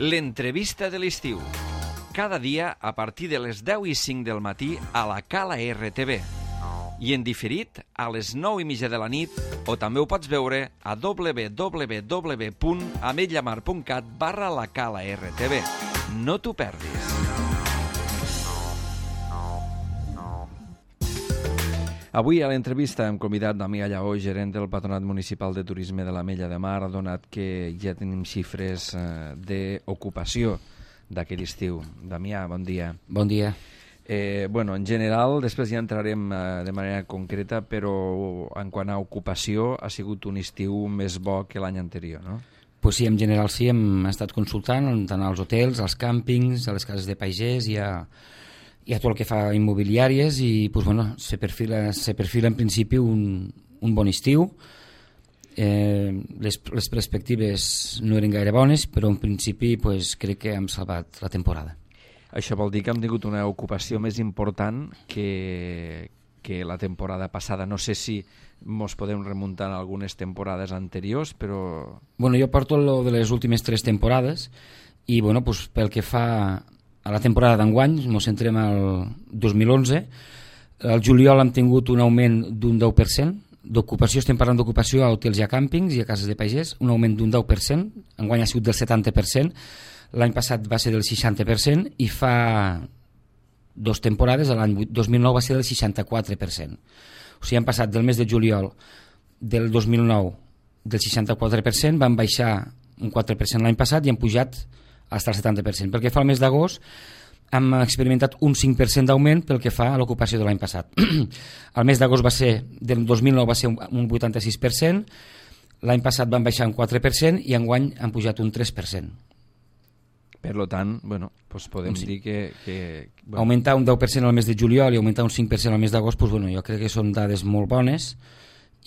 L'entrevista de l'estiu. Cada dia a partir de les 10:05 del matí a la Cala RTV. I en diferit a les 9:30 de la nit, o també ho pots veure a www.ametlllamar.cat/la Cala RTV. No t'ho perdis. Avui a l'entrevista hem convidat Damià Lleó, gerent del Patronat Municipal de Turisme de l'Ametlla de Mar, donat que ja tenim xifres d'ocupació d'aquest estiu. Damià, bon dia. Bon dia. En general, després ja entrarem de manera concreta, però en quant a ocupació ha sigut un estiu més bo que l'any anterior, no? Pues sí, en general sí, hem estat consultant tant als hotels, als càmpings, a les cases de pagès i a tot el que fa immobiliàries i pues, se perfila en principi un bon estiu. Les perspectives no eren gaire bones, però en principi pues, crec que hem salvat la temporada. Això vol dir que hem tingut una ocupació més important que la temporada passada. No sé si ens podem remuntar a algunes temporades anteriors, però... Jo porto lo de les últimes 3 temporades i pel que fa a la temporada d'enguany, ens centrem al 2011. Al juliol hem tingut un augment d'un 10%, d'ocupació, estem parlant d'ocupació a hotels i a càmpings i a cases de pagès, un augment d'un 10%, enguany ha sigut del 70%, l'any passat va ser del 60% i fa 2 temporades, l'any 2009 va ser del 64%. O sigui, han passat del mes de juliol del 2009 del 64%, van baixar un 4% l'any passat i han pujat fins al 70%. Pel que fa al mes d'agost, hem experimentat un 5% d'augment pel que fa a l'ocupació de l'any passat. El mes d'agost del 2009 va ser un 86%, l'any passat van baixar un 4% i enguany han pujat un 3%. Per tant, podem dir que... Augmentar un 10% al mes de juliol i augmentar un 5% al mes d'agost, jo crec que són dades molt bones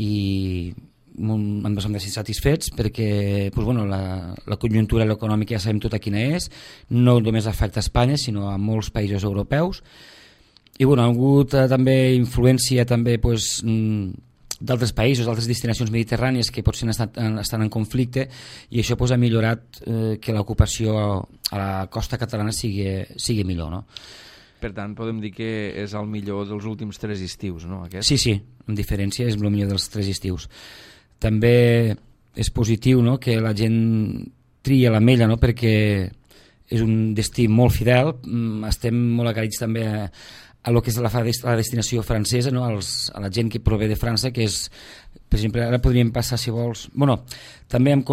i hem de ser satisfets perquè la conjuntura econòmica ja sabem tota quina és, no només afecta a Espanya sinó a molts països europeus i ha hagut també influència també d'altres països, d'altres destinacions mediterrànies que potser estan en conflicte i això ha millorat que l'ocupació a la costa catalana sigui millor, no? Per tant, podem dir que és el millor dels últims 3 estius, no? Aquest? Sí, amb diferència és el millor dels 3 estius. També és positiu, no?, que la gent tria l'Ametlla, no?, perquè és un destí molt fidel, estem molt agraïts també a lo que és la destinació francesa, no?, a la gent que prové de França, que és, per exemple, ara podríem passar, si vols... També hem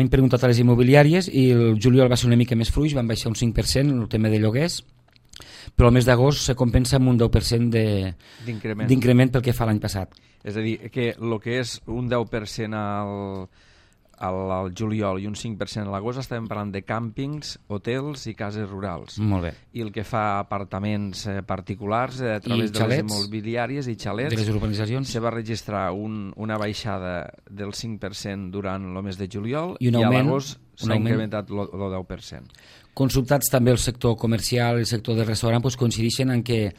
preguntat a les immobiliàries i el juliol va ser una mica més fluix, van baixar un 5% en el tema de lloguers, però el mes d'agost se compensa amb un 10% d'increment pel que fa l'any passat. És a dir, que el que és un 10% al juliol i un 5% a l'agost estàvem parlant de càmpings, hotels i cases rurals. Molt bé. I el que fa apartaments particulars a través de les immobiliàries i xalets, de les urbanitzacions, se va registrar una baixada del 5% durant el mes de juliol i a l'agost s'ha incrementat el 10%. Consultats també el sector comercial i el sector del restaurant coincideixen en que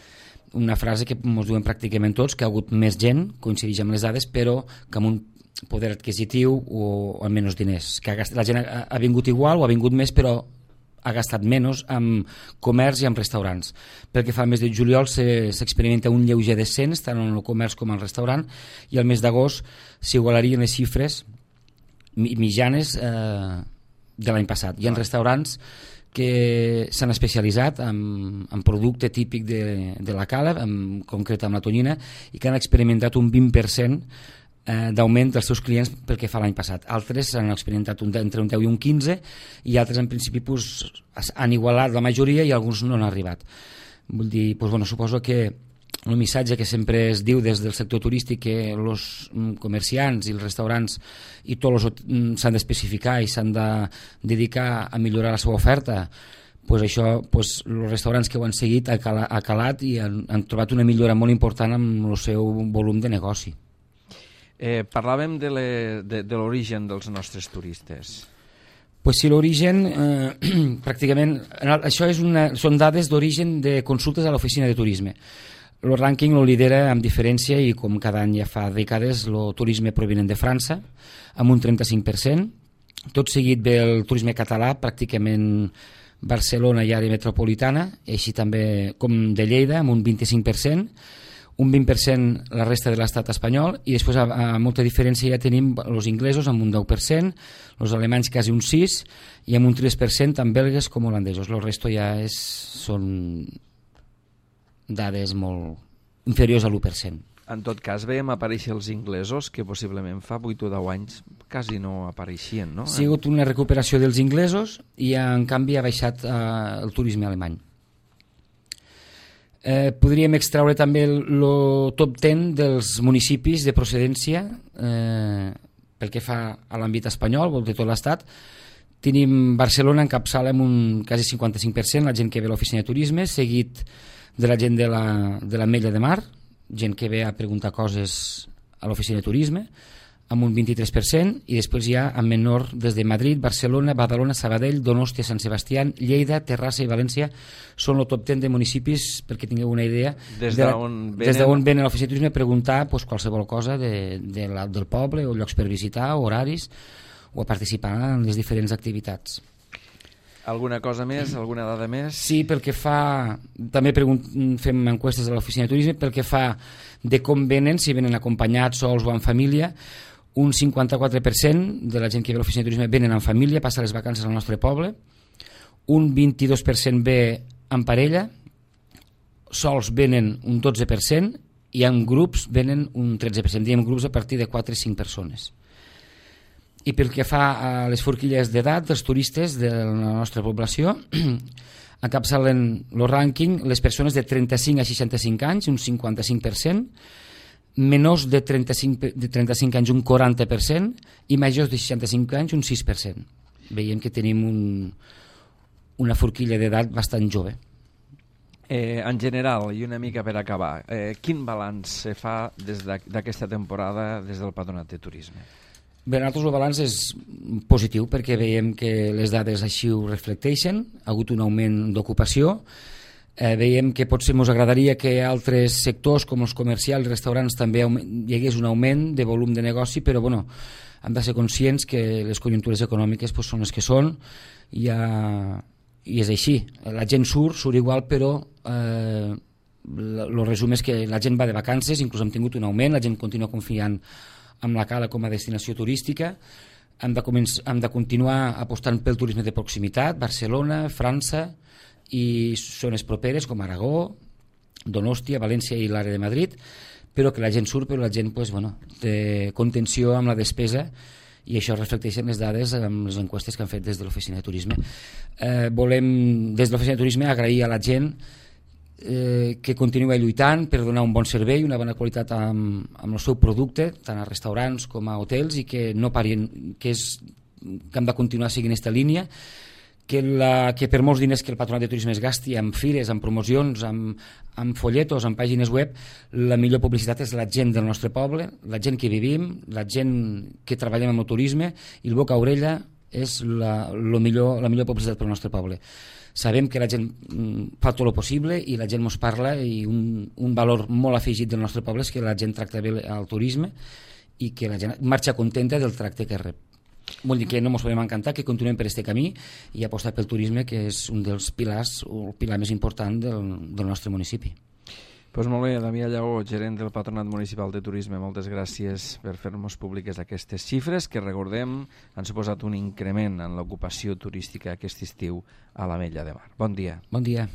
una frase que ens diuen pràcticament tots, que ha hagut més gent, coincideix amb les dades, però que amb un poder adquisitiu o amb menys diners. Que la gent ha vingut igual o ha vingut més, però ha gastat menys amb comerç i amb restaurants. Pel que fa al mes de juliol s'experimenta un lleuger descens, tant en el comerç com en el restaurant, i al mes d'agost s'igualarien les xifres mitjanes de l'any passat. Hi ha restaurants que s'han especialitzat en producte típic de la cala, en concret amb la tonyina, i que han experimentat un 20% d'augment dels seus clients pel que fa l'any passat. Altres han experimentat entre un 10 i un 15 i altres en principi han igualat la majoria i alguns no han arribat. Vull dir, suposo que el missatge que sempre es diu des del sector turístic que els comerciants i els restaurants i tots s'han d'especificar i s'han de dedicar a millorar la seva oferta, això, els restaurants que ho han seguit ha calat i han trobat una millora molt important amb el seu volum de negoci. Parlàvem de l'origen dels nostres turistes. Sí, l'origen, pràcticament, això són dades d'origen de consultes a l'oficina de turisme. El rànquing lo lidera amb diferència i com cada any ja fa dècades el turisme provinent de França amb un 35%, Tot seguit ve el turisme català, pràcticament Barcelona i àrea metropolitana, així també com de Lleida, amb un 25%, un 20% la resta de l'estat espanyol, i després a molta diferència ja tenim els inglesos amb un 10%, els alemanys quasi un 6%, i amb un 3% tant belgues com holandesos. El resto ja són dades molt inferiors a l'1%. En tot cas, veiem aparèixer els inglesos, que possiblement fa 8 o 10 anys quasi no apareixien, no? Ha sigut una recuperació dels inglesos i, en canvi, ha baixat el turisme alemany. Podríem extraure també el top 10 dels municipis de procedència pel que fa a l'àmbit espanyol, de tot l'estat. Tenim Barcelona encapçala amb un quasi 55%, la gent que ve a l'oficina de turisme, seguit de la gent de l'Ametlla de Mar, gent que ve a preguntar coses a l'oficina de turisme, amb un 23%, i després hi ha en menor des de Madrid, Barcelona, Badalona, Sabadell, Donòstia, Sant Sebastià, Lleida, Terrassa i València. Són el top 10 de municipis, perquè tingueu una idea, des d'on venen a l'oficina de turisme a preguntar qualsevol cosa del poble, o llocs per visitar, o horaris, o a participar en les diferents activitats. Alguna cosa més, alguna dada més? Sí, pel que fa... També fem enquestes a l'oficina de turisme, pel que fa de com venen, si venen acompanyats, sols o en família. Un 54% de la gent que ve a l'oficina de turisme venen en família, passa les vacances al nostre poble. Un 22% ve en parella, sols venen un 12%, i en grups venen un 13%. Diem grups a partir de 4 o 5 persones. I pel que fa a les forquilles d'edat dels turistes de la nostra població, encapçalen el rànquing les persones de 35 a 65 anys, un 55%, menors de 35 anys un 40%, i majors de 65 anys un 6%. Veiem que tenim una forquilla d'edat bastant jove. En general, i una mica per acabar, quin balanç se fa d'aquesta temporada des del Patronat de Turisme? Bé, nosaltres el balanç és positiu, perquè veiem que les dades així ho reflecteixen. Ha hagut un augment d'ocupació. Veiem que potser ens agradaria que altres sectors com els comercials i restaurants també hi hagués un augment de volum de negoci, però bueno, hem de ser conscients que les conjuntures econòmiques són les que són, i és així. La gent surt igual, però el resum és que la gent va de vacances, inclús hem tingut un augment, la gent continua confiant amb la Cala com a destinació turística. Hem de continuar apostant pel turisme de proximitat, Barcelona, França i zones properes com Aragó, Donòstia, València i l'àrea de Madrid, però que la gent surt, però la gent té contenció amb la despesa, i això reflecteixen les dades amb les enquestes que han fet des de l'oficina de turisme. Volem, des de l'oficina de turisme, agrair a la gent que continua lluitant per donar un bon servei, una bona qualitat amb el seu producte, tant a restaurants com a hotels, i que no parin, que hem de continuar seguint aquesta línia, que per molts diners que el Patronat de Turisme es gasti en fires, en promocions, en folletos, en pàgines web, la millor publicitat és la gent del nostre poble, la gent que vivim, la gent que treballem amb el turisme, i el boca a orella és la millor publicitat pel nostre poble. Sabem que la gent fa tot el possible i la gent ens parla, i un valor molt afegit del nostre poble és que la gent tracta bé el turisme i que la gent marxa contenta del tracte que rep. Vol dir que no ens podem encantar, que continuem per aquest camí i apostar pel turisme, que és un dels pilars, o el pilar més important del nostre municipi. Doncs molt bé, Damià Lleó, gerent del Patronat Municipal de Turisme, moltes gràcies per fer-nos públiques aquestes xifres que, recordem, han suposat un increment en l'ocupació turística aquest estiu a l'Ametlla de Mar. Bon dia. Bon dia.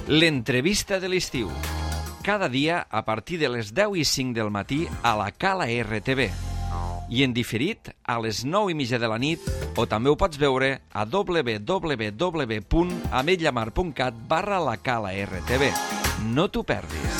L'entrevista de l'estiu. Cada dia a partir de les 10:05 del matí a la Cala RTV. I en diferit a les 9:30 de la nit, o també ho pots veure a www.ametllamar.cat/la Cala RTV. No t'ho perdis.